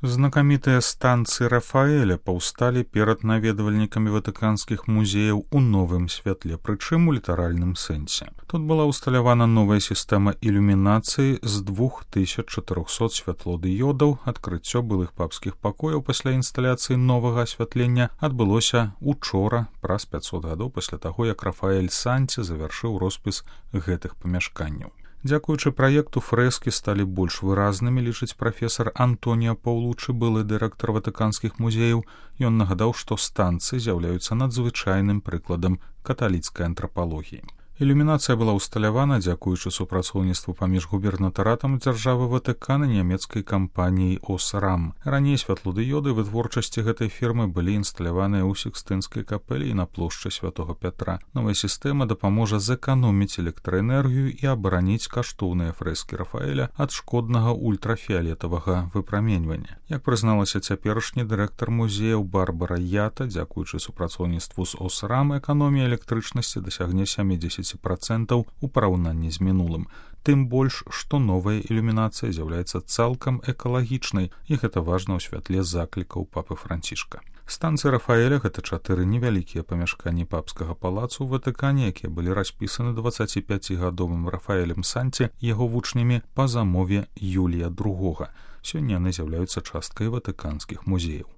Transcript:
Знакамітыя станцыі Рафаэля паўсталі перад наведвальнікамі ватыканскіх музеяў у новым святле, прычым у літаральным сэнсе. Тут была ўсталявана новая сістэма ілюмінацыі з 2400 святлодыёдаў. Адкрыццё былых папскіх пакояў пасля інсталяцыі новага асвятлення адбылося учора, праз 500 гадоў пасля таго, як Рафаэль Санці завяршыў роспіс гэтых памяшканняў. Дзякуючы праекту фрэскі сталі больш выразнымі, лічыць прафесар Антоніа Паўлучы, былы дырэктар ватыканскіх музеяў. Ён нагадаў, што станцыі з'яўляюцца надзвычайным прыкладам каталіцкай антрапалогіі. Ілюмінацыя была ўсталявана дзякуючы супрацоўніцтву паміж губернатаратам дзяржавы Ватыкан і нямецкай кампаніяй «Осрам». Раней святлодыёды вытворчасці гэтай фірмы былі інсталяваныя ў Сікстынскай капэлі і на плошчы Святога Пятра. Новая сістэма дапаможа зэканоміць электраэнергію і абараніць каштоўныя фрэскі Рафаэля ад шкоднага ультрафіялетавага выпраменьвання. Як прызналася цяперашні дырэктар музеяў Барбара Ята, дзякуючы супрацоўніцтву з «Осрам» эканомія электрычнасці дасягне 70% у параўнанні з мінулым. Тым больш, што новая ілюмінацыя з'яўляецца цалкам экалагічнай, і гэта важна ў святле заклікаў папы Францішка. Станцыі Рафаэля — гэта 4 невялікія памяшканні папскага палацу ў Ватыкане, якія былі распісаны 25-гадовым Рафаэлем Санці і яго вучнямі па замове Юлія II. Сёння яны з'яўляюцца часткай ватыканскіх музеяў.